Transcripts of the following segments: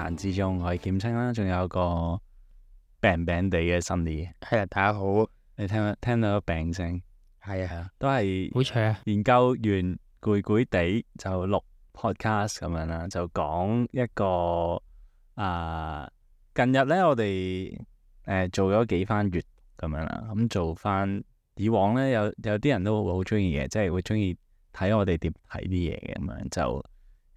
難之中，我係劍青啦，仲有個病病地嘅Sunny。係啊，大家好。你聽到個病聲？係啊，都係好彩啊。研究完攰攰地就錄 podcast 咁樣啦，就講一個近日咧我哋做咗幾番閱讀咁樣啦，咁做翻以往咧有啲人都會好中意嘅，即係會中意睇我哋點睇啲嘢嘅咁樣，就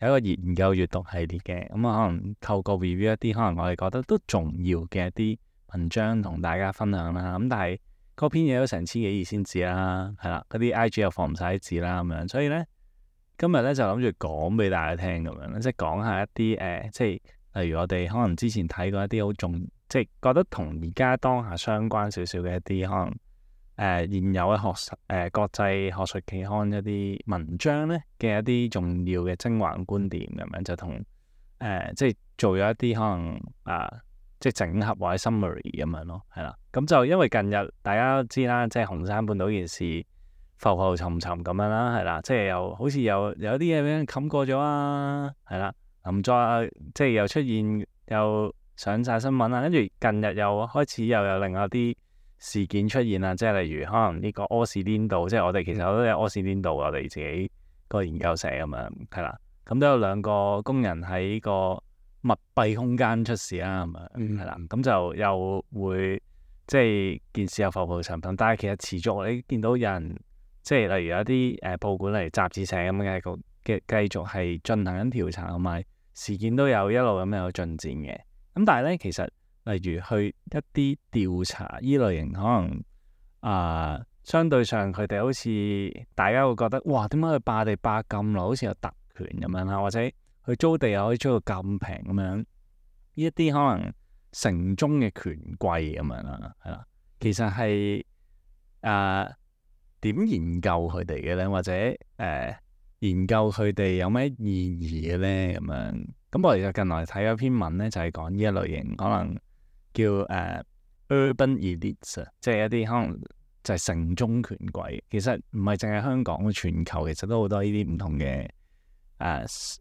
有一個研究閱讀系列嘅，咁可能透過 review 一啲可能我哋覺得都重要嘅一啲文章同大家分享啦，咁但係嗰篇嘢都成千幾頁先字啦，係啦，嗰啲 IG 又放唔晒啲字啦咁樣，所以咧今日咧就諗住講俾大家聽咁樣，即係講下一啲即係例如我哋可能之前睇過一啲好重，即係覺得同而家當下相關少少嘅一啲可能現有嘅國際學術期刊一啲文章咧嘅一啲重要嘅精華觀點咁樣，就同即係做咗一啲可能即係整合或者 summary 咁樣咯，係啦。咁就因為近日大家都知啦，即係紅山半島件事浮浮沉沉咁樣啦，係啦，即係又好似有啲嘢俾人冚過咗啊，係啦，唔再即係又出現又上晒新聞啦，跟住近日又開始又有另外啲事件出現啦，即係例如可能呢個柯士甸道，即係我哋其實都有柯士甸道，我哋自己個研究社咁樣，係啦，咁都有兩個工人喺個密閉空間出事啦，咁樣係啦，咁就又會即係件事又浮浮沉沉，但係其實持續你見到有人即係例如有一啲報館嚟雜誌社咁嘅繼續係進行緊調查，同埋事件都有一路咁有進展嘅。咁但係咧，其實例如去一啲調查依類型，可能相對上佢哋好似大家會覺得哇，點解佢霸地霸咁耐，好似有特權咁樣啦，或者佢租地又可以租到咁平咁樣，呢一啲可能城中嘅權貴咁樣啦，係啦，其實係點研究佢哋嘅咧，或者研究佢哋有咩意義嘅咧咁樣。咁我哋就近來睇咗篇文咧，就係講呢一類型，可能叫urban elites，即係一啲可能就係城中權貴。其實唔係淨係香港，全球其實都好多呢啲唔同嘅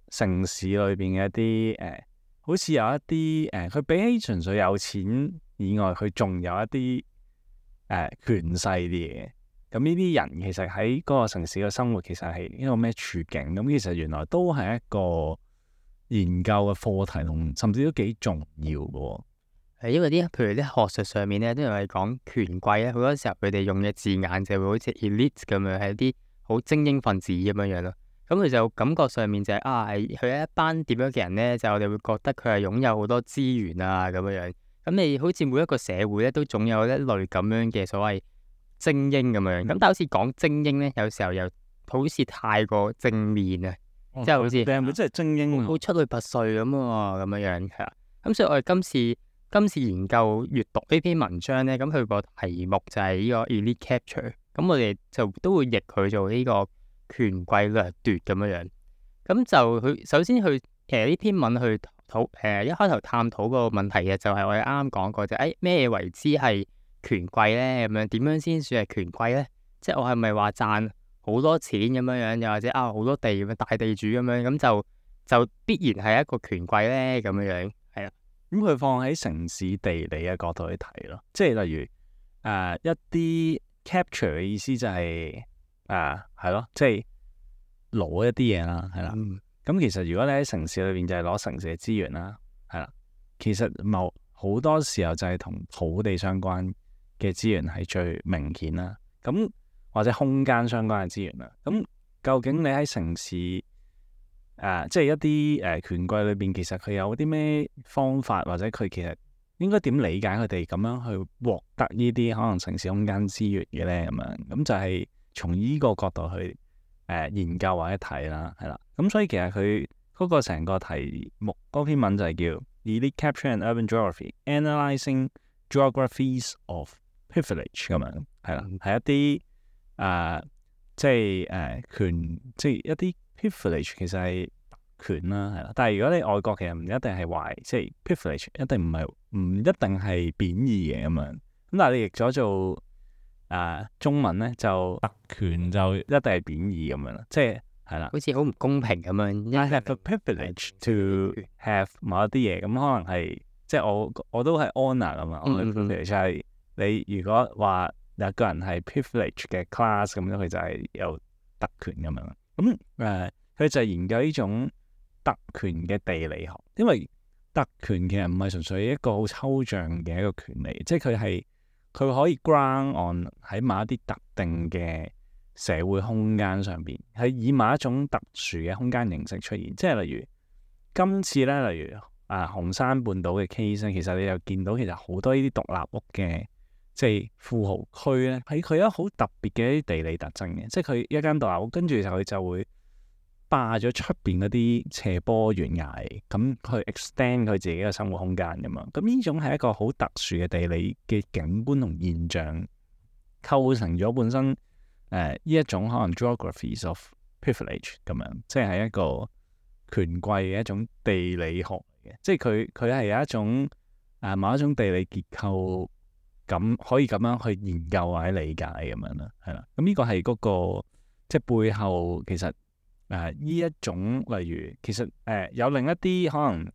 城市裏邊嘅一啲好似有一啲佢比起純粹有錢以外，佢仲有一啲權勢啲嘢。咁呢啲人其實喺嗰個城市嘅生活其實係一個咩處境？咁其實原來都係一個研究嘅課題，同甚至都幾重要嘅喎。係因為譬如啲學術上面咧，都係講權貴咧，好多時候佢哋用嘅字眼就會好似 elite 咁樣，係一啲好精英分子咁樣樣咯。咁佢就感覺上面就係佢係一班點樣嘅人咧，就我哋會覺得佢係擁有好多資源啊咁樣樣。咁你好似每一個社會咧，都總有一類咁樣嘅所謂精英咁樣，咁但係好似講精英咧，有時候又好似太過正面啊，即係好似你係咪真係精英？好出類拔萃咁啊，咁樣樣係啦。咁所以我哋今次研究閱讀呢篇文章咧，咁佢個題目就係呢個 elite capture，咁我哋就都會譯佢做呢個權貴掠奪咁樣樣。咁就佢首先其實呢篇文去一開頭探討個問題嘅就係我哋啱啱講過就咩為之係權貴咧，咁樣點樣先算係權貴咧？即係我係咪話賺好多錢咁樣樣，又或者好多地咁樣大地主咁樣，咁就必然係一個權貴咧？咁樣樣係啦。咁佢放喺城市地理嘅角度去睇咯，即係例如一啲 capture 嘅意思就係係咯，即係攞一啲嘢啦，係啦。咁其實如果你喺城市裏邊就係攞城市嘅資源啦，係啦。其實好多時候就係同土地相關嘅資源係最明顯啦，咁或者空間相關嘅資源啦。咁究竟你喺城市即係一啲權貴裏邊，其實佢有啲咩方法，或者佢其實應該點理解佢哋咁樣去獲得呢啲可能城市空間資源嘅咧？咁樣咁就係從呢個角度去研究或者睇啦，係啦。咁所以其實佢嗰個成個題目嗰篇文就係叫 Elite Capture and Urban Geography Analyzing Geographies of Privilege 咁樣，係啦，係一啲即係即係一啲 privilege 其實係權啦，係啦。但係如果你外國其實唔一定係壞，即係 privilege 唔一定係貶義嘅咁樣。咁但係你譯咗做中文咧，就特權就一定係貶義咁樣啦，即係係啦。好似好唔公平咁樣。 I have a privilege to have 某一啲嘢，咁可能係即係我都係 honour 噶嘛。我嘅 privilege 係你如果話有個人係 privilege 嘅 class 咁樣，佢就係有特權咁樣。咁佢就係研究呢種特權嘅地理學，因為特權其實唔係純粹一個好抽象嘅一個權利，即係佢可以 ground on 喺某一啲特定嘅社會空間上邊，係以某一種特殊嘅空間形式出現。即係例如今次咧，例如紅山半島嘅 case 咧，其實你又見到其實好多呢啲獨立屋嘅即係富豪區咧，佢有好特別嘅一啲地理特徵嘅，即係佢一間獨立屋，跟住佢就會霸咗出邊嗰啲斜坡懸崖，咁去 extend 佢自己嘅生活空間咁嘛。咁呢種係一個好特殊嘅地理嘅景觀同現象，構成咗本身呢一種可能 geographies of privilege 咁樣，即係一個權貴嘅一種地理學嚟嘅，即係佢係有一種某一種地理結構咁可以咁樣去研究或者理解咁樣啦，係啦。咁呢個係嗰個即係背後其實。呢一種例如其實有另一啲可能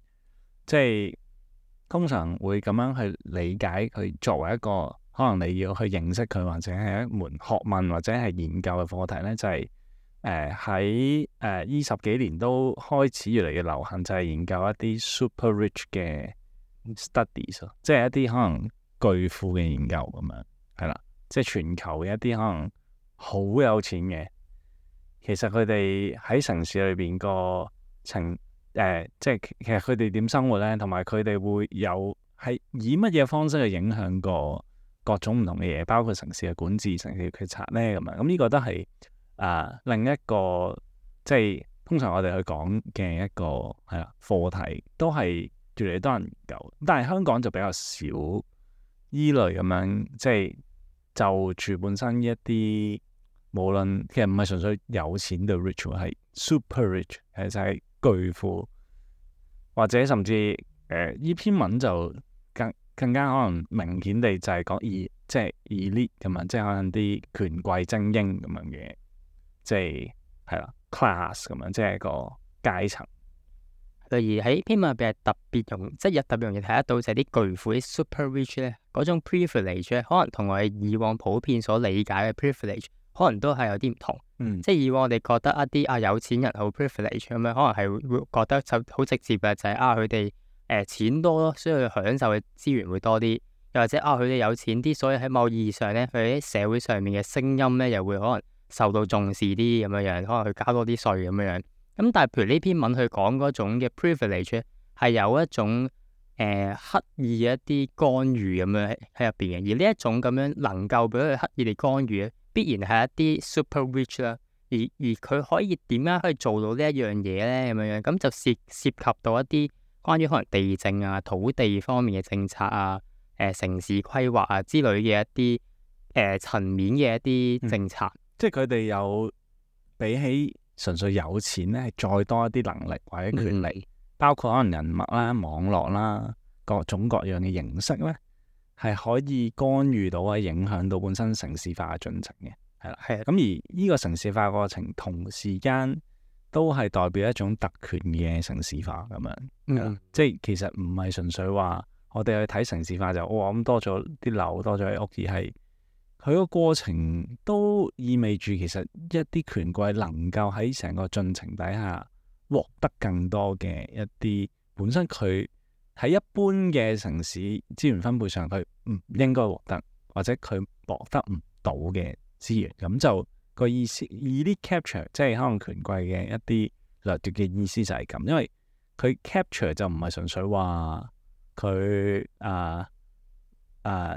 即係通常會咁樣去理解佢作為一個可能你要去認識佢或者係一門學問或者係研究嘅課題咧，就係喺呢十幾年都開始越嚟越流行，就係研究一啲 super rich 嘅 studies， 即係一啲可能巨富嘅研究咁樣，係啦，即係全球嘅一啲可能好有錢嘅。其實佢哋喺城市裏邊個即係其實佢哋點生活咧，同埋佢哋會有係以乜嘢方式去影響過各種唔同嘅嘢，包括城市嘅管治、城市嘅決策咧咁樣。咁呢個都係另一個即係通常我哋去講嘅一個係啦課題，都係越嚟越多人研究。但係香港就比較少依類咁樣，即係就住本身一啲。無論其實唔係純粹有錢到 rich， 係 super rich， 其實係巨富，或者甚至呢篇文就更加可能明顯地就係講即係 elite 咁樣，即係可能啲權貴精英咁樣嘅，即係啦 class 咁樣，即係一個階層。例如喺篇文入邊係特別容易睇得到就係啲巨富啲 super rich 咧，嗰種 privilege 咧，可能同我哋以往普遍所理解嘅 privilege。可能都係有啲唔同，即係以往我哋覺得一啲有錢人好 privilege 咁樣，可能係會覺得就好直接嘅就係佢哋錢多咯，所以佢享受嘅資源會多啲，又或者佢哋有錢啲，所以喺某意義上咧，佢喺社會上面嘅聲音咧又會可能受到重視啲咁樣樣，可能佢交多啲稅咁樣樣。咁但係譬如呢篇文佢講嗰種嘅 privilege 係有一種刻意嘅一啲干預咁樣喺入邊嘅，而呢一種咁樣能夠俾佢刻意地干預必然係一啲 super rich 啦，而佢可以點樣可以做到呢一樣嘢咧？咁樣樣咁就涉及到一啲關於可能地政啊、土地方面嘅政策啊、城市規劃啊之類嘅一啲層面嘅一啲政策，即係佢哋有比起純粹有錢咧，係再多一啲能力或者權利，包括可能人脈啦、網絡啦、各種各樣嘅形式咧。係可以干預到啊，影響到本身城市化嘅進程嘅，係啦，係。咁而呢個城市化過程同時間都係代表一種特權嘅城市化咁樣，即係其實唔係純粹話我哋去睇城市化就咁多咗啲樓多咗啲屋，而係佢個過程都意味住其實一啲權貴能夠喺成個進程底下獲得更多嘅一啲本身佢。喺一般嘅城市資源分配上，佢唔應該獲得，或者佢獲得唔到嘅資源，咁就個意思elite capture，即係可能權貴嘅一啲掠奪嘅意思就係咁，因為佢 capture 就唔係純粹話佢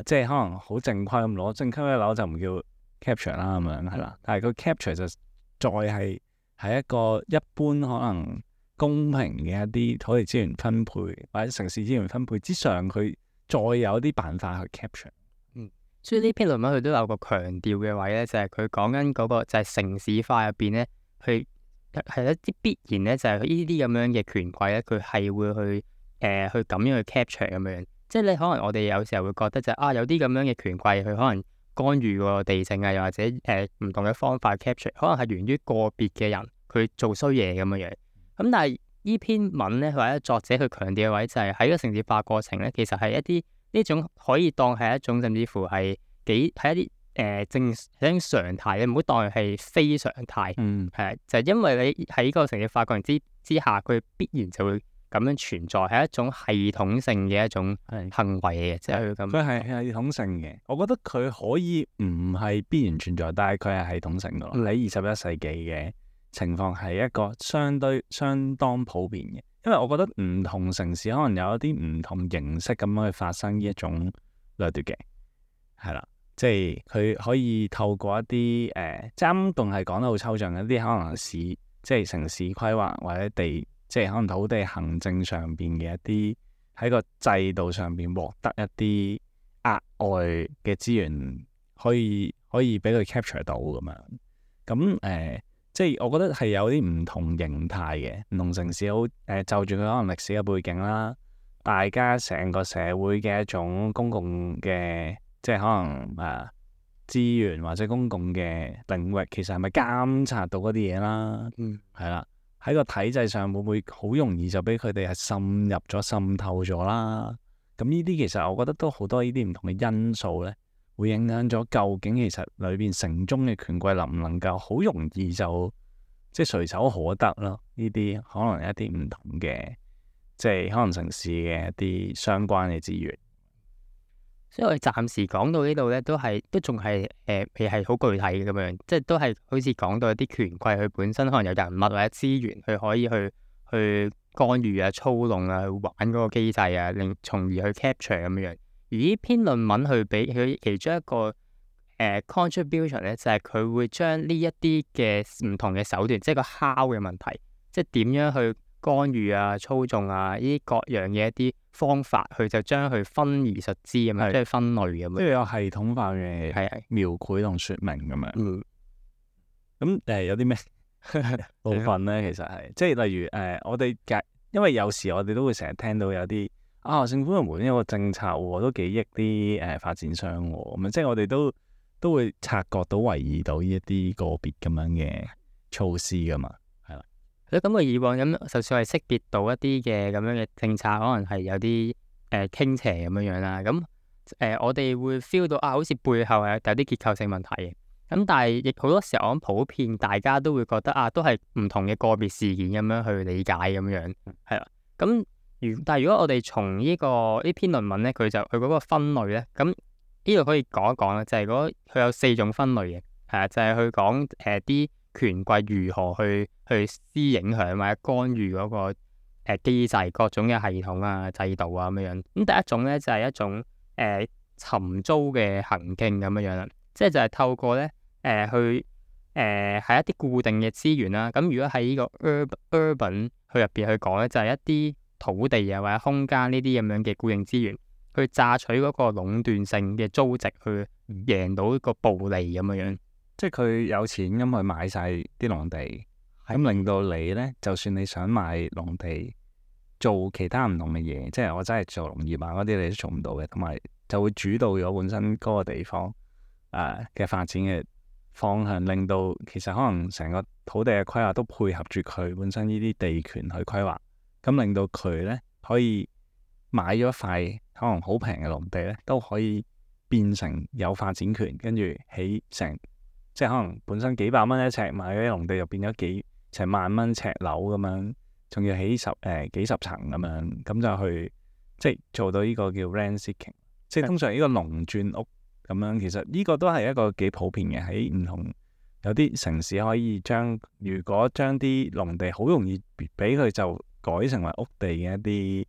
即係可能好正規咁攞正規嘅樓就唔叫 capture 啦咁樣係啦，但係佢 capture 就再係喺一個一般可能。公平嘅一啲土地資源分配或者城市資源分配之上，佢再有啲辦法去 capture。所以呢篇論文佢都有個強調嘅位咧，就係佢講緊嗰個就係城市化入邊咧，佢係一啲必然咧，就係呢啲咁樣嘅權貴咧，佢係會去去咁樣去 capture 咁樣。即係你可能我哋有時候會覺得就係有啲咁樣嘅權貴，佢可能干預個地政啊，又或者唔同嘅方法 capture，可能係源於個別嘅人。佢做衰嘢咁樣樣。咁但係呢篇文咧，或者作者佢強調嘅位就係喺個城市化過程咧，其實係一啲呢種可以當係一種甚至乎係係一啲正係一種常態，你唔好當佢係非常態。係就係因為你喺個城市化過程之下，佢必然就會咁樣存在，係一種系統性嘅一種行為嘅，即係咁。佢係系統性嘅，我覺得佢可以唔係必然存在，但係佢係系統性嘅咯。喺21世紀嘅情況係一個相當普遍嘅，因為我覺得唔同城市可能有一啲唔同形式咁樣去發生呢一種掠奪嘅，係啦，即係佢可以透過一啲即係啱仲係講得好抽象嘅一啲可能即係城市規劃或者即係可能土地行政上邊嘅一啲喺個制度上邊獲得一啲額外嘅資源，可以俾佢 capture 到咁樣。咁即係我覺得係有啲唔同形態嘅，唔同城市就住佢可能歷史嘅背景啦，大家成個社會嘅一種公共嘅即係可能資源或者公共嘅領域，其實係咪監察到嗰啲嘢啦？係啦。喺個體制上會唔會好容易就俾佢哋係滲入咗、滲透咗啦？咁呢啲其實我覺得都好多呢啲唔同嘅因素咧，會影響咗究竟其實裏邊城中嘅權貴能唔能夠好容易就即係隨手可得咯？呢啲可能一啲唔同嘅即係可能城市嘅一啲相關嘅資源。所以我哋暫時講到呢度咧，都仲係未係好具體嘅咁樣，即係都係好似講到一啲權貴佢本身可能有人物或者資源，佢可以去干預啊、操弄啊、去玩嗰個機制啊，從而去 capture 咁樣。而呢篇論文去俾佢其中一個contribution 咧，就係佢會將呢一啲嘅唔同嘅手段，即係個 how 嘅問題，即係點樣去干預啊、操縱啊呢啲各樣嘅一啲方法，佢就將佢分而述之咁樣，即係分類咁樣，即係有系統化嘅描繪同説明咁樣。咁有啲咩部分咧？其實係即係例如我哋因為有時我哋都會成日聽到有啲政府部門有個政策喎，都幾益啲發展商喎，咁即係我哋都會察覺到、懷疑到呢一啲個別咁樣嘅措施噶嘛。咁我以往咁，就算係識別到一啲嘅咁樣嘅政策，可能係有啲傾斜咁樣樣啦。咁我哋會 feel 到好似背後係有啲結構性問題嘅。咁但係亦好多時候，我諗普遍大家都會覺得都係唔同嘅個別事件咁樣去理解咁樣，係啦。咁但係如果我哋從呢篇論文咧，佢嗰個分類咧，咁呢度可以講一講啦，就係佢有4種分類嘅，係啊，就係去講啲權貴如何去施影響或者干預嗰個機制、各種嘅系統啊、制度啊咁樣樣。咁第一種咧就係一種尋租嘅行徑咁樣樣啦，即係就係透過咧係一啲固定嘅資源啦。咁如果喺呢個 urban 去入邊去講咧，就係一啲土地啊或者空間呢啲咁樣嘅固定資源，去榨取嗰個壟斷性嘅租值，去贏到一個暴利咁樣樣。即係佢有錢咁去買晒啲農地，咁令到你咧，就算你想買農地做其他唔同嘅嘢，即係我真係做農業嗰啲，你都做唔到嘅，同埋就會主導咗本身嗰個地方嘅發展嘅方向，令到其實可能成個土地嘅規劃都配合住佢本身呢啲地權去規劃，咁令到佢咧可以買咗一塊可能好平嘅農地咧，都可以變成有發展權，跟住起成。即係可能本身幾百蚊一尺買嗰啲農地，又變咗成萬蚊尺樓咁樣，仲要起幾十層咁樣，咁就去即係做到呢個叫 rent seeking，即係通常呢個農轉屋咁樣。其實呢個都係一個幾普遍嘅，喺唔同有啲城市可以如果將啲農地好容易俾佢就改成為屋地嘅一啲，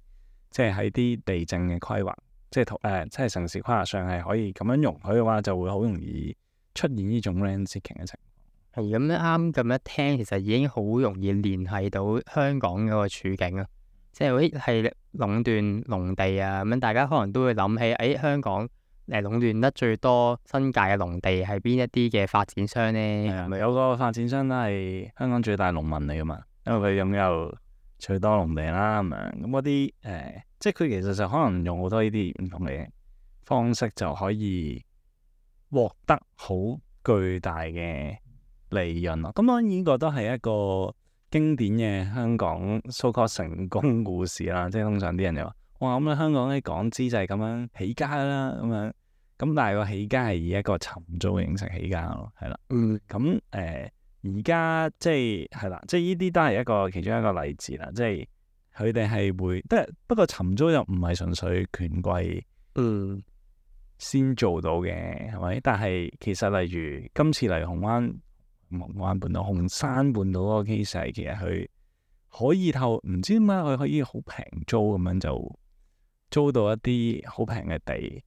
即係喺啲地政嘅規劃，即係城市規劃上係可以咁樣容許嘅話，就會好容易出現呢種 rent seeking 嘅情況。係咁啱咁一聽，其實已經好容易聯繫到香港嗰個處境啊！即係係壟斷農地啊，咁樣大家可能都會諗起，香港壟斷得最多新界嘅農地係邊一啲嘅發展商咧？係咪有個發展商都係香港最大農民嚟噶嘛？因為佢擁有最多農地啦，咁樣咁嗰啲即係佢其實就可能用好多呢啲唔同嘅方式就可以獲得好巨大嘅利潤咯。咁當然呢個都係一個經典嘅香港 so-called 成功故事啦。即係通常啲人就話：哇，咁你香港啲港資就係咁樣起家啦，咁樣。咁但係個起家係以一個尋租嘅形式起家咯，係啦。咁而家即係啦，即係呢啲都係一個其中一個例子啦。即係佢哋係會，不過尋租又唔係純粹權貴先做到嘅，係咪？但係其實例如今次嚟紅灣半島、紅山半島嗰個 case 係其實佢可以唔知點解佢可以好平租咁樣就租到一啲好平嘅地。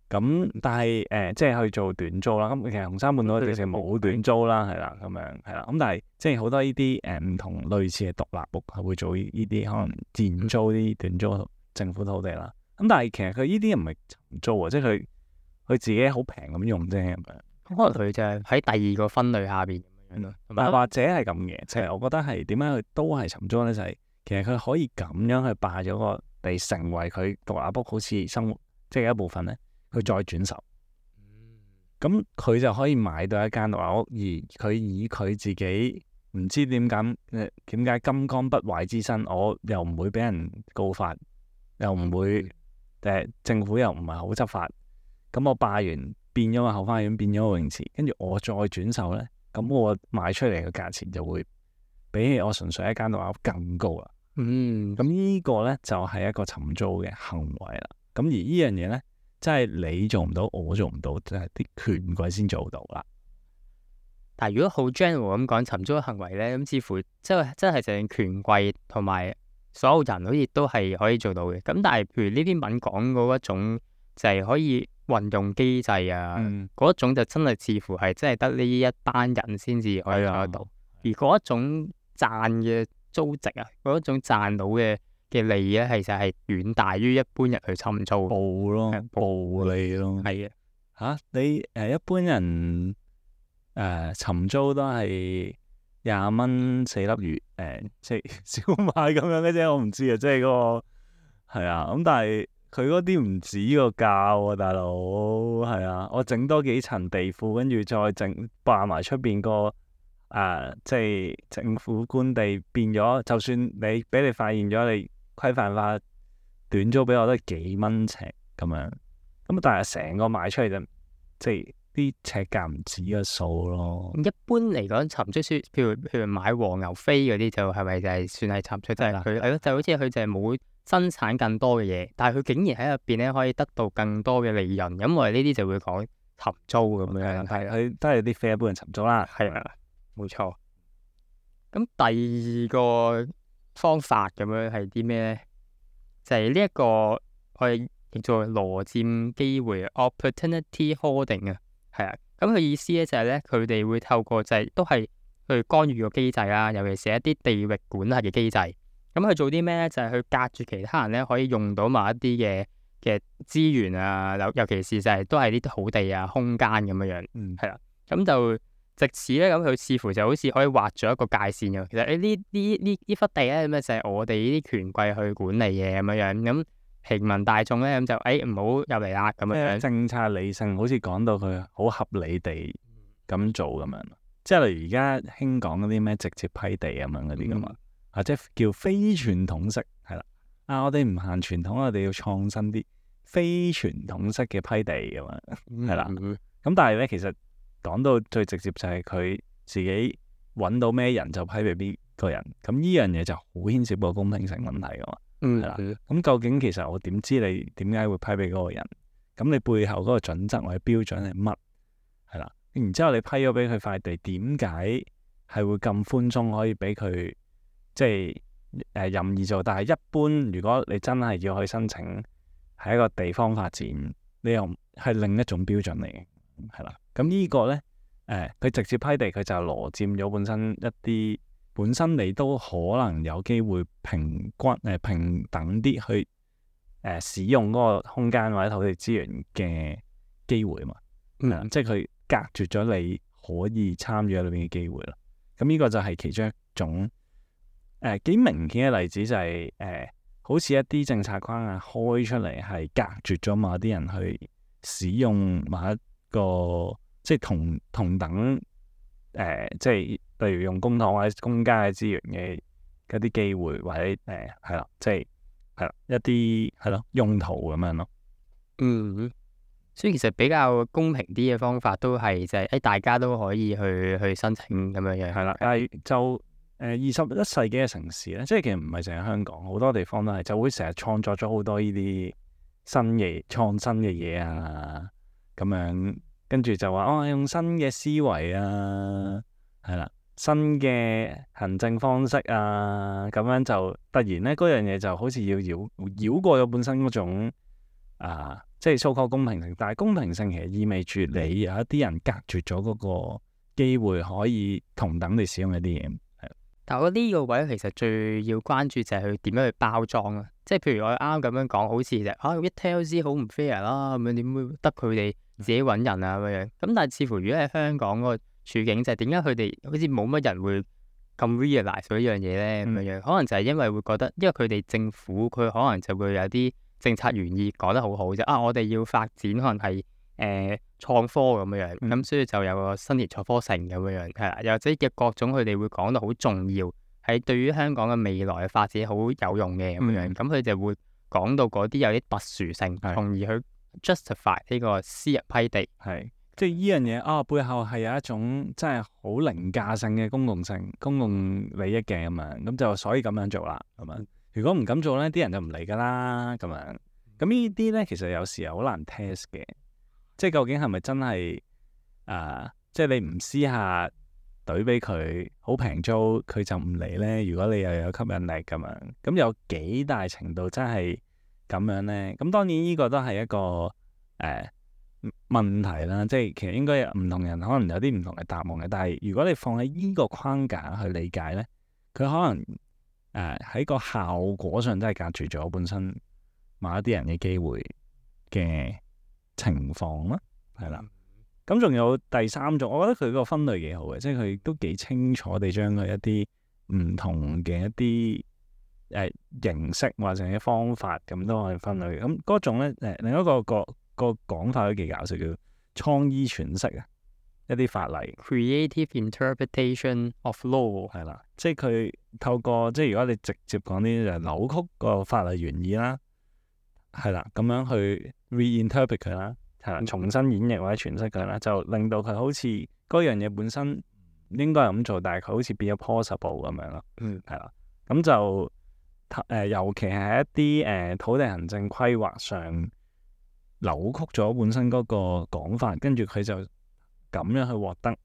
咁但係即係去做短租啦。咁其實紅山半島直情冇短租啦，係啦，咁樣係啦。咁但係即係好多呢啲唔同類似嘅獨立屋係會做呢啲可能賤租啲短租政府土地啦。咁但係其實佢呢啲唔係尋租啊，即係佢自己好平咁用啫咁樣。可能佢就係喺第二個分類下邊咁樣咯。或者係咁嘅，即係我覺得係點解佢都係尋租咧？就係其實佢可以咁樣去霸咗個地，成為佢獨立屋好似生活即係一部分咧。佢再轉售，咁佢就可以買到一間獨立屋，而佢以佢自己唔知點解金剛不壞之身，我又唔會俾人告發，又唔會政府又唔係好執法，咁我霸完變咗個後花園，變咗個泳池，跟住我再轉售咧，咁我賣出嚟嘅價錢就會比起我純粹一間獨立屋更高啦。咁呢個咧就係一個尋租嘅行為啦。咁而呢樣嘢咧，即係你做唔到，我做唔到，即係啲權貴先做到啦。但係如果好 general 咁講尋租嘅行為咧，咁似乎真係淨係權貴同埋所有人好似都係可以做到嘅。咁但係譬如呢篇文講嗰一種就係可以運用機制啊，嗰一種就真係似乎係真係得呢一班人先至可以做得到。而嗰一種賺嘅租值啊，嗰一種賺到嘅利咧，其實係遠大於一般人去尋租。暴利咯。係嘅。你一般人尋租都係20蚊4粒魚，即係燒賣咁樣嘅啫。我唔知啊，即係嗰個係啊。咁但係佢嗰啲唔止個價喎，大佬係啊。我整多幾層地庫，跟住再霸埋出邊個即係政府官地，變咗就算俾你發現咗你規範化短租俾我都係幾蚊尺咁樣，咁但係成個賣出嚟就即係啲尺價唔止個數咯。一般嚟講，尋租譬如買黃牛飛嗰啲，就係咪就係算係尋租？即係佢係咯，就好似佢就係冇生產更多嘅嘢，但係佢竟然喺入邊咧可以得到更多嘅利潤，咁我哋呢啲就會講尋租咁樣。係佢都係啲非一般人尋租啦。係啊，冇錯。咁第二個方法咁樣係啲咩咧？就係呢一個我哋叫做羅佔機會 （opportunity hoarding） 啊，係啊。咁佢意思咧就係咧，佢哋會透過就係都係去干預個機制啦，尤其是一啲地域管轄嘅機制。咁佢做啲咩咧？就係去隔住其他人咧，可以用到某一啲嘅資源啊，尤其是就係都係呢啲土地啊、空間咁樣樣。係啦。咁就藉此咧，咁佢似乎就好似可以劃咗一個界線嘅。其實呢忽地咧，咁就係我哋呢啲權貴去管理嘅咁樣樣。咁平民大眾咧，咁就唔好入嚟啦咁樣。政策理性，好似講到佢好合理地咁做咁樣。即係例如而家興講嗰啲咩直接批地咁樣嗰啲噶嘛，或者叫非傳統式係啦。我哋唔行傳統，我哋要創新啲非傳統式嘅批地咁樣係啦。咁但係咧，其實講到最直接就係佢自己揾到咩人就批俾邊個人，咁呢樣嘢就好牽涉個公平性問題噶嘛，係啦。咁究竟其實我點知你點解會批俾嗰個人？咁你背後嗰個準則或者標準係乜？係啦，然之後你批咗俾佢塊地，點解係會咁寬鬆可以俾佢即係任意做？但係一般如果你真係要去申請，係一個地方發展，你又係另一種標準嚟嘅，係啦。咁呢個咧，佢直接批地，佢就羅佔咗本身你都可能有機會平等啲去使用嗰個空間或者土地資源嘅機會嘛。即係佢隔絕咗你可以參與喺裏邊嘅機會咯。咁呢個就係其中一種幾明顯嘅例子，就係好似一啲政策框架開出嚟係隔絕咗某啲人去使用某一個即係同等即係例如用公帑或者公家嘅資源嘅嗰啲機會，或者係啦，即係一啲係咯用途咁樣咯。所以其實比較公平啲嘅方法都係就係大家都可以去申請咁樣樣。係啦，但係就21世紀嘅城市咧，即係其實唔係淨係香港，好多地方都係就會成日創作咗好多呢啲創新嘅嘢啊，咁樣跟住就話用新嘅思維啊，係啦，新嘅行政方式啊，咁樣就突然咧嗰樣嘢就好似要繞過咗本身嗰種即係so-called公平性，但係公平性其實意味住你有一啲人隔絕咗嗰個機會可以同等地使用一啲嘢。但我覺得呢個位其實最要關注就係佢點樣去包裝啊！即係譬如我啱啱咁樣講，好似就一聽都知好唔 fair 啦，咁樣點會得佢哋自己揾人啊咁樣？咁但係似乎如果喺香港嗰個處境就係點解佢哋好似冇乜人會咁 realize 咗呢樣嘢咧咁樣？可能就係因為會覺得，因為佢哋政府佢可能就會有啲政策原意講得好好啫。我哋要發展可能係創科咁樣，咁所以就有個新年創科城咁樣，係啦，又或者嘅各種佢哋會講到好重要，係對於香港嘅未來嘅發展好有用嘅咁樣，咁佢就會講到嗰啲有啲特殊性，從而去 justify 呢個私人批地，係即係呢樣嘢背後係有一種真係好凌駕性嘅公共利益嘅咁樣，咁就所以咁樣做啦咁樣。如果唔咁做咧，啲人就唔嚟噶啦咁樣。咁呢啲咧其實有時候好難 test 嘅。即係究竟係咪真係即係你唔私下懟俾佢好平租，佢就唔嚟咧？如果你又有吸引力咁樣，咁有幾大程度真係咁樣咧？咁當然呢個都係一個問題啦。即係其實應該有唔同人可能有啲唔同嘅答案嘅。但係如果你放喺呢個框架去理解咧，佢可能喺個效果上真係隔住咗本身某一啲人嘅機會嘅情況啦，係啦。咁仲有第三種，我覺得佢個分類幾好嘅，即係佢都幾清楚地將佢一啲唔同嘅一啲形式或者方法咁都可以分類。咁嗰種咧另一個講法都幾搞笑，叫創意詮釋啊，一啲法例 creative interpretation of law 係啦，即係佢透過即係如果你直接講啲就扭曲個法例原意啦，係啦，咁樣去 reinterpret 佢啦，係啦，重新演繹或者詮釋佢啦，就令到佢好似嗰樣嘢本身應該係咁做，但係佢好似變咗 possible 咁樣咯。係啦，咁就尤其係一啲土地行政規劃上扭曲咗本身嗰個講法，跟住佢就咁樣去獲得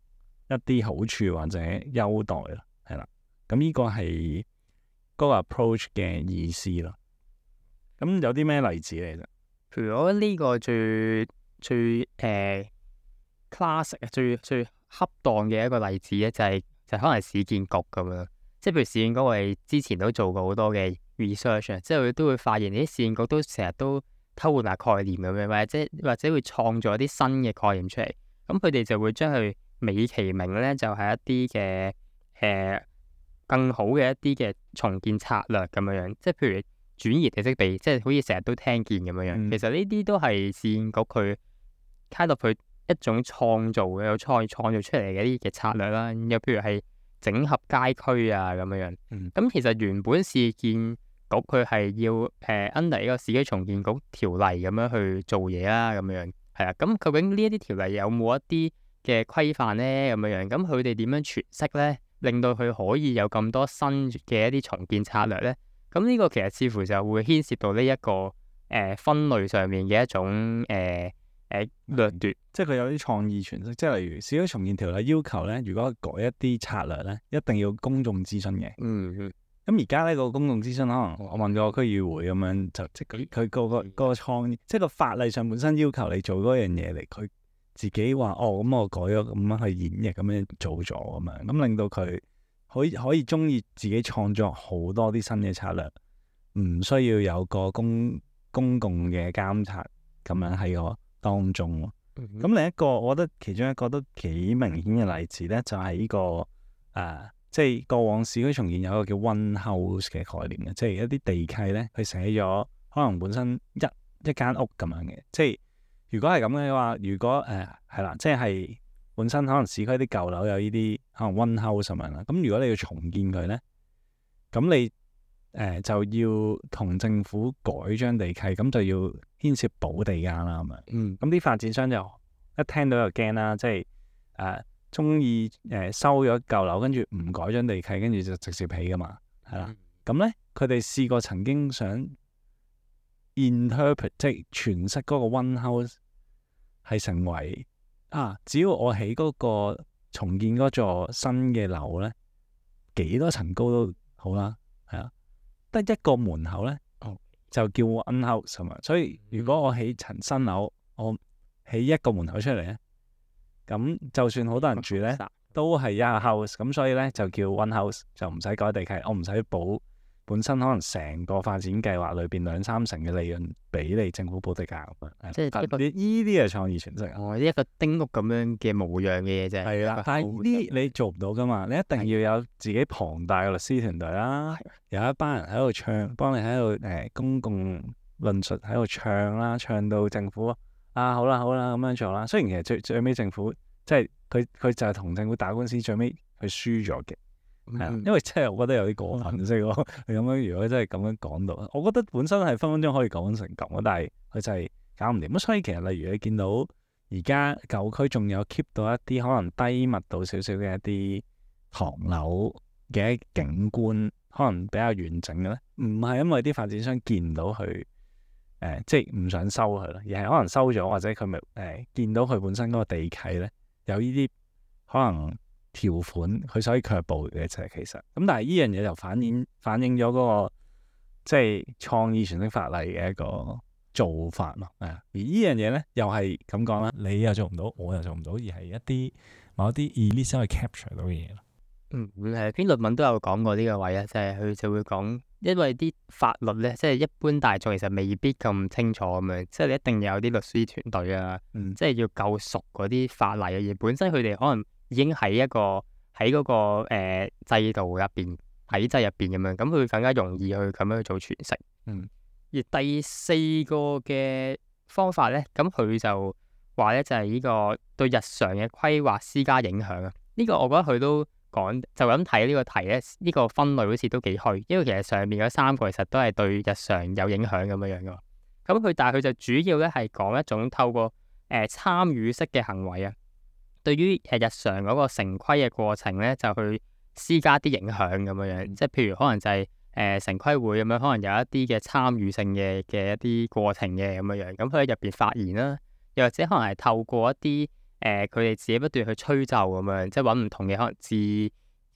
一啲好處或者優待啦，係啦。咁呢個係嗰個 approach 嘅意思咯。咁有啲咩例子嚟啫？譬如我覺得呢個最 classic 最恰當嘅一個例子咧，就可能係市建局咁樣。即係譬如市建局，我哋之前都做過好多嘅 research，即係佢都會發現啲市建局都成日都偷換下概念咁樣，或者會創造一啲新嘅概念出嚟。咁佢哋就會將佢美其名咧，就係一啲嘅更好嘅一啲嘅重建策略咁樣。即係譬如轉移地積比，即係好似成日都聽見咁樣。其實呢啲都係市建局佢 kind of 佢一種創造嘅創造出嚟嘅一啲嘅策略啦。又譬如係整合街區啊咁樣。咁其實原本市建局佢係要under 呢個市區重建局條例咁樣去做嘢啦，咁樣係啦。咁究竟呢一啲條例有冇一啲嘅規範咧？咁樣咁佢哋點樣詮釋咧，令到佢可以有咁多新嘅一啲重建策略咧？咁呢個其實似乎就會牽涉到呢一個分類上面嘅一種掠奪，即係佢有啲創意詮釋。即係例如市區重建條例要求咧，如果改一啲策略咧，一定要公眾諮詢嘅。咁而家呢個公眾諮詢，可能我問個區議會咁樣，就即係佢個創意，即係個法例上本身要求你做嗰樣嘢嚟，佢自己話咁我改咗咁樣去演繹咁樣做咗咁樣，咁令到佢可以中意自己創作好多啲新嘅策略，唔需要有個公共嘅監察咁樣喺個當中。咁另一個我覺得其中一個都幾明顯嘅例子咧，就係呢個即係過往市區重建有一個叫 one house 嘅概念嘅，即係一啲地契咧，佢寫咗可能本身一間屋咁樣嘅。即係如果係咁嘅話，如果係啦，即係本身可能市區啲舊樓有呢啲可能 one house 咁樣啦。咁如果你要重建佢咧，咁你就要同政府改張地契，咁就要牽涉補地價啦咁樣。咁啲發展商就一聽到就驚啦，即係中意收咗舊樓，跟住唔改張地契，跟住就直接起噶嘛，係啦。咁咧佢哋試過曾經想 interpret 即係詮釋嗰個 one house 係成為只要我起嗰個重建嗰座新嘅樓咧，幾多層高都好啦，係啊，得一個門口咧就叫 one house 咁啊。所以如果我起層新樓，我起一個門口出嚟咧，咁就算好多人住咧，都係一個 house。咁所以咧就叫 one house， 就唔使改地契，我唔使補本身可能成個發展計劃裏邊2-3成嘅利潤俾你政府補地價咁樣。即係呢啲係創意詮釋。一個丁屋咁樣嘅模樣嘅嘢啫。係啦，但係呢你做唔到噶嘛，你一定要有自己龐大嘅律師團隊啦，有一班人喺度唱，幫你喺度公共論述喺度唱啦，唱到政府好啦咁樣做啦。雖然其實最尾政府即係佢就係同政府打官司，最尾佢輸咗嘅。係啦，因為真係我覺得有啲過分，即係佢咁樣，如果真係咁樣講到，我覺得本身係分分鐘可以講成咁，但係佢就係搞唔掂。咁所以其實例如你見到而家舊區仲有 keep 到一啲可能低密度少少嘅一啲唐樓嘅景觀，可能比較完整嘅咧，唔係因為啲發展商見唔到佢即係唔想收佢咯，而係可能收咗，或者佢咪見到佢本身嗰個地契咧有呢啲可能條款，佢所以卻步嘅就係其實咁。但係呢樣嘢就反映咗嗰個即係創意詮釋法例嘅一個做法咯。而呢樣嘢咧又係咁講啦，你又做唔到，我又做唔到，而係一啲某一啲 elite 先可以 capture 到嘅嘢咯。篇論文都有講過呢個位啊，即係佢就會講，因為啲法律咧，即係一般大眾其實未必咁清楚咁樣，即係你一定有啲律師團隊啊，即係要夠熟嗰啲法例嘅嘢，本身佢哋可能已經喺嗰個制度入邊、體制入邊咁樣，咁佢更加容易去咁樣去做詮釋。而第四個嘅方法咧，咁佢就話咧就係呢個對日常嘅規劃施加影響啊。呢個我覺得佢都講就咁睇呢個題咧，呢個分類好似都幾虛，因為其實上面嗰3個其實都係對日常有影響咁樣樣噶。咁但係佢就主要咧係講一種透過參與式嘅行為啊，對於日常嗰個城規嘅過程咧，就去施加啲影響咁樣樣。即係譬如可能就係城規會咁樣，可能有一啲嘅參與性嘅一啲過程嘅咁樣樣。咁佢喺入邊發言啦，又或者可能係透過一啲佢哋自己不斷去吹奏咁樣，即係揾唔同嘅可能智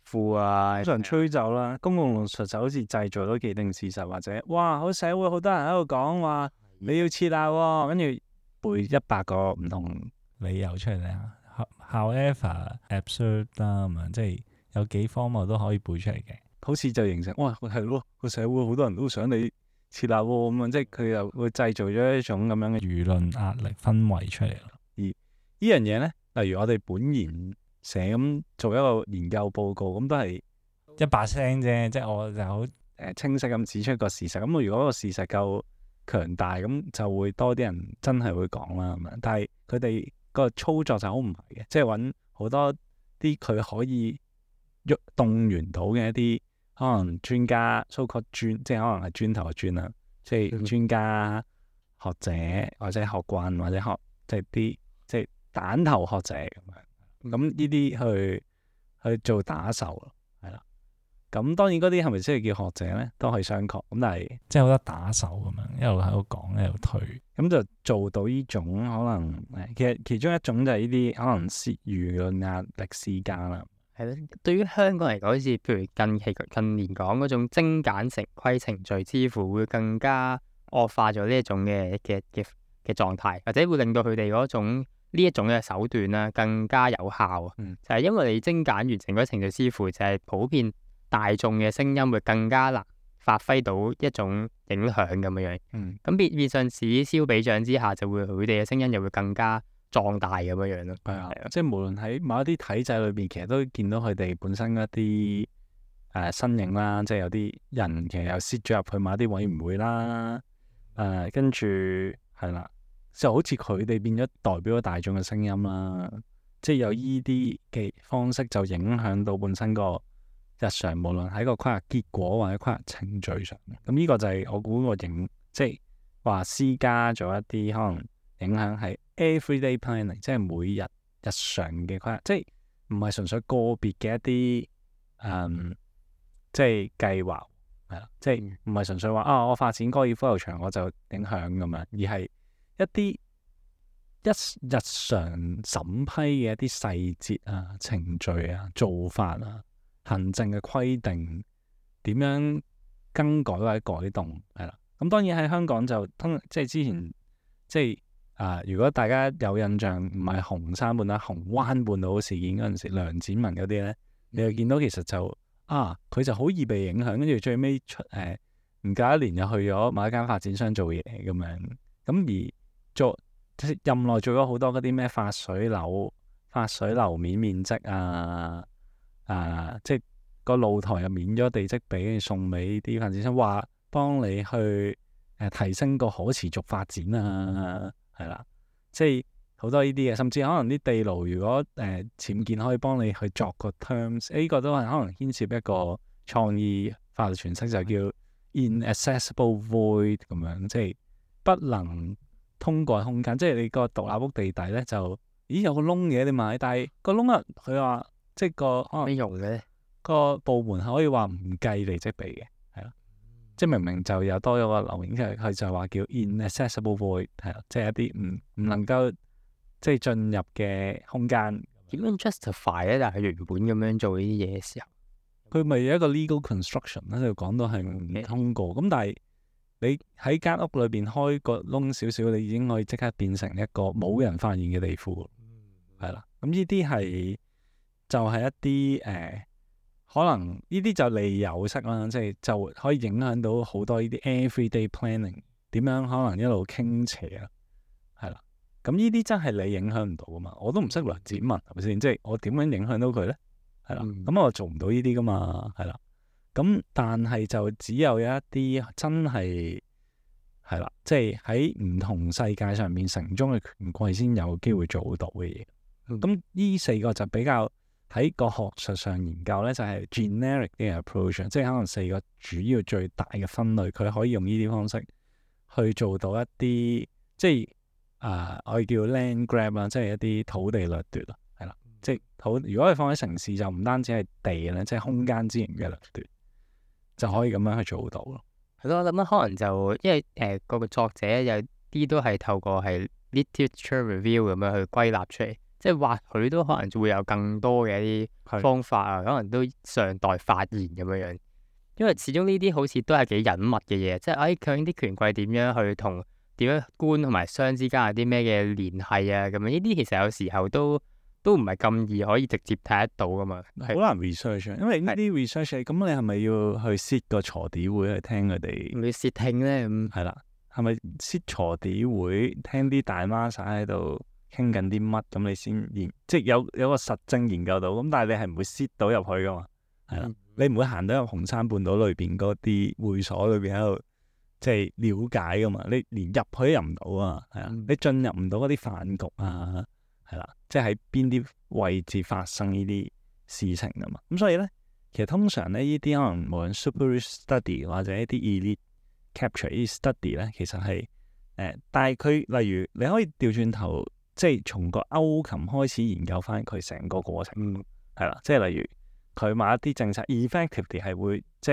庫啊，通常吹奏啦，公共論述就好似製造咗既定事實，或者哇好社會好多人喺度講話你要設立喎，跟住背100個唔同理由出嚟啊。However absurd 啦咁樣，即係有幾荒謬都可以背出嚟嘅，好似就形成哇係咯，個社會好多人都想你設立喎咁樣，即係佢又會製造咗一種咁樣嘅輿論壓力氛圍出嚟咯。而呢樣嘢咧，例如我哋本研社咁做一個研究報告，咁都係一把聲啫，即係我就好清晰咁指出個事實。咁如果個事實夠強大，咁就會多啲人真係會講啦咁樣。但係佢哋個操作就好唔係嘅，即係揾好多啲佢可以動員到嘅一啲可能專家，so-called專，即係可能係磚頭嘅磚啦，即係專家學者或者學棍或者即係啲即係蛋頭學者咁樣。咁呢啲去做打手咯，係啦。咁當然嗰啲係咪真係叫學者咧，都可以商榷。咁但係即係好多打手咁樣，一路喺度講，一路推，咁就做到呢種可能其中一種就係呢啲可能輿論壓力施加啦。係咯，對於香港嚟講，好似譬如近年講嗰種精簡城規程序，似乎會更加惡化咗呢一種嘅狀態，或者會令到佢哋嗰種呢一種嘅手段啦更加有效啊。就係因為你精簡完成嗰程序，似乎就係普遍大眾嘅聲音會更加難發揮到一種影響咁樣樣。咁變相此消彼長之下，就會佢哋嘅聲音又會更加壯大咁樣樣咯。係啊，即係無論喺某一啲體制裏邊，其實都見到佢哋本身一啲身影啦，即係有啲人其實又 sit 咗入去某一啲委員會啦，跟住係啦，就好似佢哋變咗代表咗大眾嘅聲音啦。即係有依啲嘅方式就影響到本身個日常，無論喺個規劃結果或者規劃程序上。咁呢個就係我估個即係話私家咗一啲可能影響係 everyday planning，即係每日日常嘅規劃，即係唔係純粹個別嘅一啲即係計劃係啦，即係唔係純粹話我發展高爾夫球場我就影響咁樣，而係一啲日常審批嘅一啲細節啊、程序啊、做法啊、行政嘅規定點樣更改或者改動係啦。咁當然喺香港就即係之前即係如果大家有印象，唔係紅山半島、紅灣半島事件嗰陣時，梁展文嗰啲咧，你就見到其實就佢就好易被影響，跟住最尾唔夠一年又去咗某一間發展商做嘢咁樣，咁而任內做咗好多嗰啲咩發水樓面面積即係個露台又免咗地積比，送俾啲發展商，話幫你去提升個可持續發展係啦，即係好多呢啲嘅，甚至可能啲地牢如果僭建可以幫你去作個 terms，呢個都係可能牽涉一個創意法律詮釋，就叫 inaccessible void 咁樣，即係不能通過空間，即係你個獨立屋地底咧就有個窿嘅你買，但係個窿佢話即係個可能咩用嘅？個部門可以話唔計地積比嘅，係咯，即係明明就有多咗個樓面，佢就話叫 inaccessible void， 係啦，即係一啲唔能夠即係進入嘅空間。點樣 justify 咧？但係原本咁樣做呢啲嘢嘅時候，佢咪有一個 legal construction 咧，就講到係唔通過。咁但係你喺間屋裏邊開個窿少少，你已經可以即刻變成一個冇人發現嘅地庫，係啦。咁呢啲係就係一啲可能呢啲就利有式啦，即係就可以影響到好多呢啲 everyday planning 點樣可能一路傾斜啊，係啦。咁呢啲真係你影響唔到噶嘛？我都唔識梁展文係咪先？即係我點樣影響到佢咧？係啦，咁我做唔到呢啲噶嘛，係啦。咁但係就只有一啲真係啦，即係喺唔同世界上面城中嘅權貴先有機會做到嘅嘢。咁呢四個就比較喺個學術上研究咧，就係 generic 嘅 approach，即係可能四個主要最大嘅分類，佢可以用呢啲方式去做到一啲即係我哋叫 land grab 啦，即係一啲土地掠奪啦，係啦，即係如果係放喺城市就唔單止係地咧，即係空間資源嘅掠奪，就可以咁樣去做到咯。係咯，我諗可能就因為嗰個作者有啲都係透過係 literature review 咁樣去歸納出嚟，即係或許都可能會有更多嘅一啲方法啊，可能都尚待發現咁樣樣。因為始終呢啲好似都係幾隱密嘅嘢，即係究竟啲權貴點樣去同點樣官同埋商之間有啲咩嘅聯繫啊？咁樣呢啲其實有時候都唔係咁易可以直接睇得到噶嘛，好難 research， 因為呢啲 research 咁你係咪要去 sit 個鋤地會去聽佢哋？咪竊聽咧咁係啦，係咪 sit 鋤地會聽啲大媽仔喺度傾緊啲乜？咁你先即係有個實證研究到，咁但係你係唔會 sit 到入去噶嘛？係啦，你唔會行到入紅山半島裏邊嗰啲會所裏邊喺度即係了解噶嘛？你連入去都入唔到啊！係啊，你進入唔到嗰啲飯局啊！係啦，即係喺邊啲位置發生呢啲事情噶嘛？咁所以咧，其實通常咧呢啲可能無論 super study 或者一啲 elite capture 呢啲 study 咧，其實係但係佢例如你可以調轉頭，即係從個歐琴開始研究翻佢成個過程，係啦，即係例如佢某一啲政策 effectively 係會即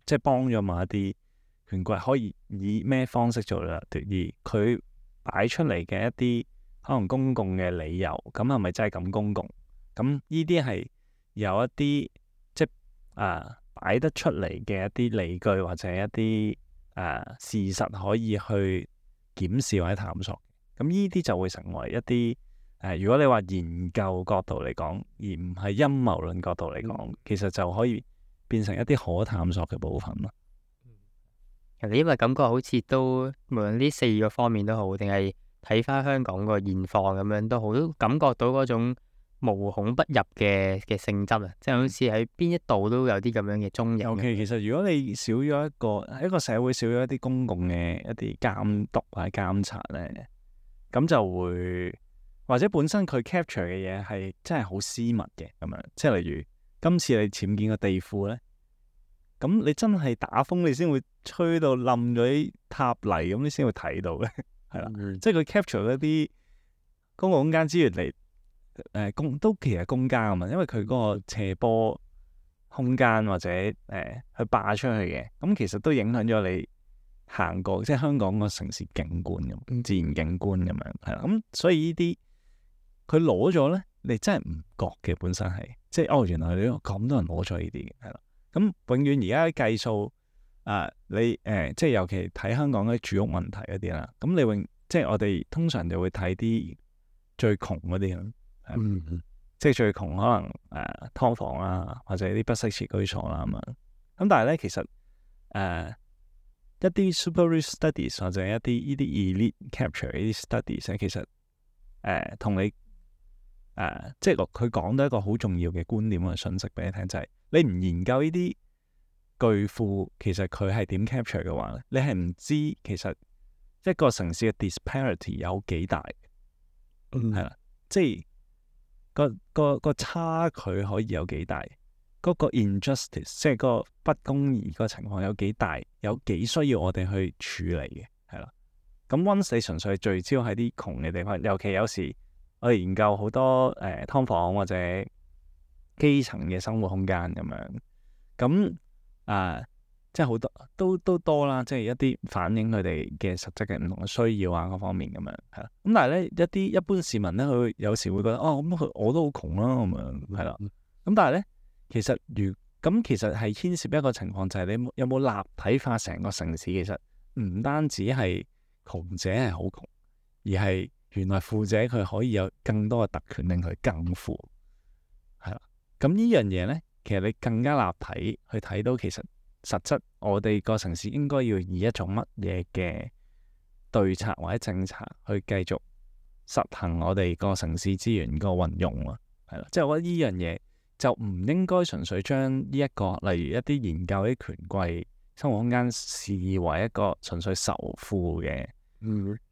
係幫咗某一啲權貴可以以咩方式做掠奪，而佢擺出嚟嘅一啲可能公共嘅理由，咁係咪真係咁公共？咁呢啲係有一啲即係擺得出嚟嘅一啲理據或者一啲事實可以去檢視或者探索。咁呢啲就會成為一啲如果你話研究角度嚟講，而唔係陰謀論角度嚟講，其實就可以變成一啲可探索嘅部分咯。其實因為感覺好似都無論呢四個方面都好，定係睇翻香港個現況咁樣都好，都感覺到嗰種無孔不入嘅性質啊！即係好似喺邊一度都有啲咁樣嘅蹤影。OK，其實如果你少咗一個社會少咗一啲公共嘅一啲監督或者監察咧，咁就會或者本身佢 capture 嘅嘢係真係好私密嘅咁樣，即係例如今次你僭建個地庫咧，咁你真係打風你先會吹到冧咗啲塔泥，咁你先會睇到嘅，係啦，即係佢 capture 一啲公共空間資源嚟都其實公家啊嘛，因為佢嗰個斜坡空間或者去霸出去嘅，咁其實都影響咗你行過即係香港個城市景觀咁，自然景觀咁樣係啦，咁所以呢啲佢攞咗咧，你真係唔覺嘅本身係，即係原來你咁多人攞咗呢啲嘅，係啦，咁永遠而家計數你即係尤其睇香港啲住屋問題嗰啲啦，咁你即係我哋通常就會睇啲最窮嗰啲咁。即係最窮可能劏房啊，或者啲不適切居所啦咁樣。咁但係咧，其實一啲 super rich studies 或者一啲呢啲 elite capture 呢啲 studies 咧，其實同你即係佢講到一個好重要嘅觀點嘅信息俾你聽，就係你唔研究呢啲巨富，其實佢係點 capture 嘅話咧，你係唔知其實一個城市嘅 disparity 有幾大，係啦，即係。個差距可以有幾大？嗰個 injustice 即係個不公義個情況有幾大？有幾需要我哋去處理嘅？係啦。咁 once 你純粹聚焦喺啲窮嘅地方，尤其有時我哋研究好多劏房或者基層嘅生活空間咁樣，咁即係好多都多啦，即係一啲反映佢哋嘅實質嘅唔同嘅需要啊，各方面咁樣係啦。咁但係咧一般市民咧，佢有時會覺得咁我都好窮啦咁樣係啦。咁但係咧，其實其實係牽涉一個情況，就係你有冇立體化成個城市？其實唔單止係窮者係好窮，而係原來富者佢可以有更多嘅特權令佢更富係啦。咁呢樣嘢咧，其實你更加立體去睇到其實。實質我哋個城市應該要以一種乜嘢嘅對策或者政策去繼續實行我哋個城市資源個運用啊，係啦，即係我覺得呢樣嘢就唔應該純粹將呢一個例如一啲研究啲權貴生活空間視為一個純粹仇富嘅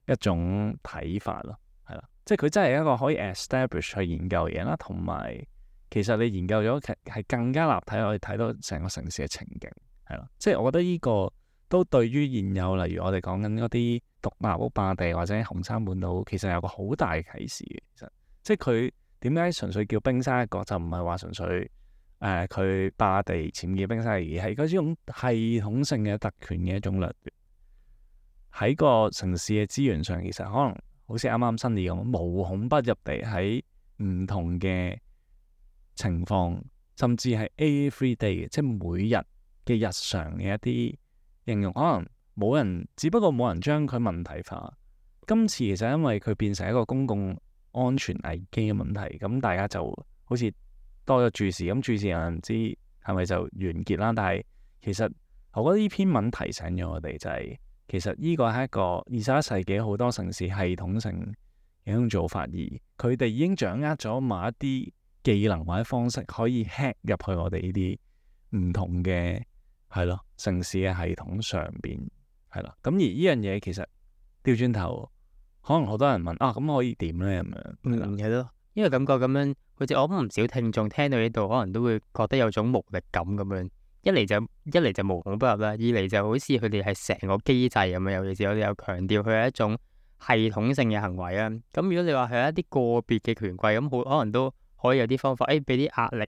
一種睇法咯，係啦，即係佢真係一個可以 establish 去研究嘢啦，同埋其實你研究咗係更加立體，可以睇到成個城市嘅情景。係啦，即係我覺得呢個都對於現有，例如我哋講緊嗰啲獨立屋霸地或者紅山半島，其實有個好大嘅啟示嘅。其實，即係佢點解純粹叫冰山一角，就唔係話純粹佢霸地僭建冰山，而係嗰種系統性嘅特權嘅一種掠奪。喺個城市嘅資源上，其實可能好似啱啱新義咁，無孔不入地喺唔同嘅情況，甚至係 every day 嘅，即係每日嘅日常嘅一啲應用，可能只不過冇人將佢問題化。今次其實因為佢變成一個公共安全危機嘅問題，咁大家就好似多咗注視，咁注視又唔知係咪就完結啦。但係其實我覺得呢篇文提醒咗我哋，就係其實呢個係一個21世紀好多城市系統性嘅一種做法，而佢哋已經掌握咗某一啲技能或者方式，可以 hack 入去我哋呢啲唔同嘅。係咯，城市嘅系統上邊係啦，咁而呢樣嘢其實調轉頭，可能好多人問咁可以點咧咁樣？係咯，因為感覺咁樣，好似我諗唔少聽眾聽到呢度，可能都會覺得有種無力感咁樣。一嚟就無孔不入啦，二嚟就好似佢哋係成個機制咁樣。尤其是我哋有強調佢係一種系統性嘅行為啊。咁如果你話係一啲個別嘅權貴，咁好可能都可以有啲方法，俾啲壓力。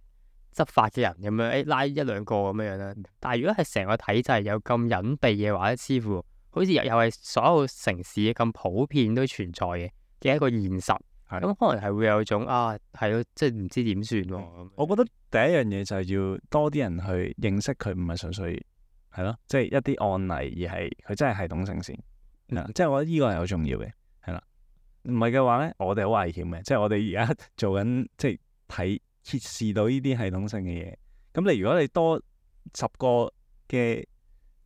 執法嘅人咁樣，拉一兩個咁樣啦。但係如果係成個體制有咁隱蔽嘅話，似乎好似又係所有城市咁普遍都存在嘅一個現實。咁可能係會有種係咯，即係唔知點算喎。我覺得第一樣嘢就係要多啲人去認識佢，唔係純粹係咯，即係一啲案例，而係佢真係系統性先。即係我覺得呢個係好重要嘅，係啦。唔係嘅話咧，我哋好危險嘅。即係我哋而家做緊即係睇。揭示到呢啲系統性嘅嘢，咁如果你多10個嘅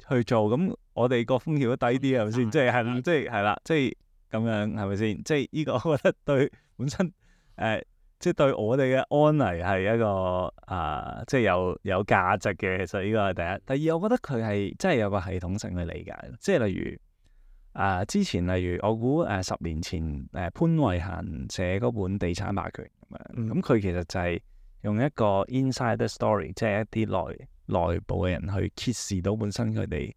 去做，咁我哋個風險都低啲係咪先？即係啦，即係咁樣係咪先？即係呢個我覺得對本身即係對我哋嘅安危係一個即係有價值嘅。其實呢個係第一。第二，我覺得佢係真係有個系統性去理解，即係例如之前例如我估10年前潘慧嫻寫嗰本《地產霸權》咁樣，咁佢其實就係用一個 insider story，即係一啲內部嘅人去揭示到本身佢哋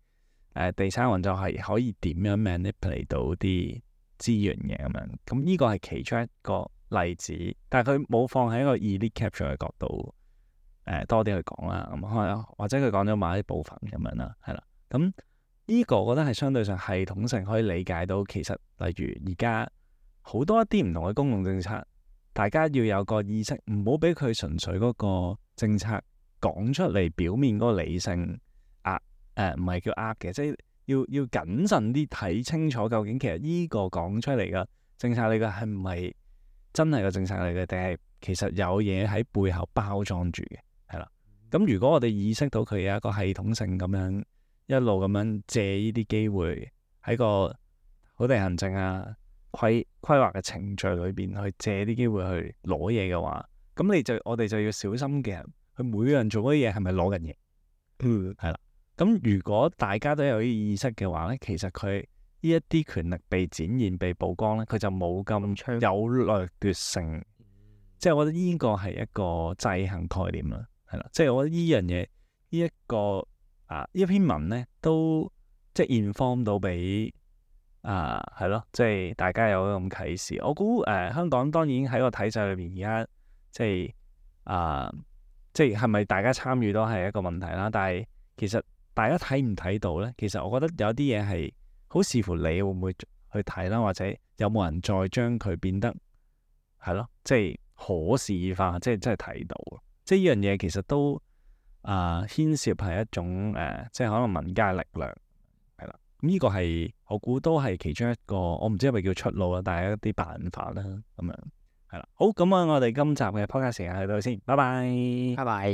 地產運作係可以點樣 manipulate 到啲資源嘅咁樣。咁呢個係其中一個例子，但係佢冇放喺一個 elite capture 嘅角度多啲去講啦。咁可能或者佢講咗某啲部分咁樣啦，係啦。咁呢個我覺得係相對上系統性可以理解到，其實例如而家好多一啲唔同嘅公共政策，大家要有個意識，唔好俾佢純粹嗰個政策講出嚟表面嗰個理性唔係叫嘅，即係要謹慎啲睇清楚究竟其實呢個講出嚟嘅政策嚟嘅係唔係真係個政策嚟嘅，定係其實有嘢喺背後包裝住嘅，係啦。咁如果我哋意識到佢有一個系統性咁樣一路咁樣借呢啲機會喺個土地行政規劃嘅程序裏邊去借啲機會去攞嘢嘅話，咁我哋就要小心嘅，佢每樣做嗰啲嘢係咪攞緊嘢？係啦。咁如果大家都有啲意識嘅話咧，其實佢呢一啲權力被展現、被曝光咧，佢就冇咁有掠奪性。即係我覺得呢個係一個制衡概念啦，係啦。即係我覺得呢樣嘢，呢一篇文咧，都即係 inform 到俾係咯，即係大家有咁啟示。我估香港當然喺個體制裏邊，而家即係係咪大家參與都係一個問題啦。但係其實大家睇唔睇到咧？其實我覺得有啲嘢係好視乎你會唔會去睇啦，或者有冇人再將佢變得係咯，即係可視化，即係真係睇到。即係呢樣嘢其實都牽涉係一種即係可能民間力量係啦。咁呢個係我估都係其中一個，我唔知係咪叫出路啦，但係一啲辦法啦咁樣係啦。好，咁我哋今集嘅 podcast 時間去到先，拜拜，拜拜。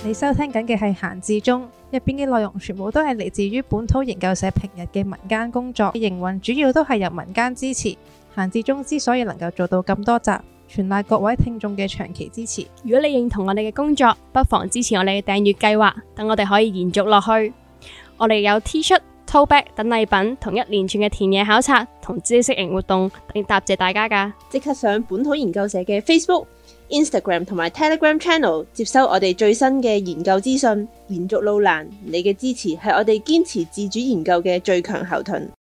你收聽緊嘅係閒置中，入邊嘅內容全部都係嚟自於本土研究社平日嘅民間工作，營運主要都係由民間支持。閒置中之所以能夠做到咁多集，全賴各位聽眾嘅長期支持。如果你認同我哋嘅工作，不妨支持我哋嘅訂閱計劃，等我哋可以延續落去。我哋有 T 恤、tote bag 等禮品，同一連串嘅田野考察同知識型活動，嚟答謝大家㗎。即刻上本土研究社嘅 Facebook、Instagram 同埋 Telegram Channel 接收我哋最新嘅研究資訊。延續路難，你嘅支持係我哋堅持自主研究嘅最強後盾。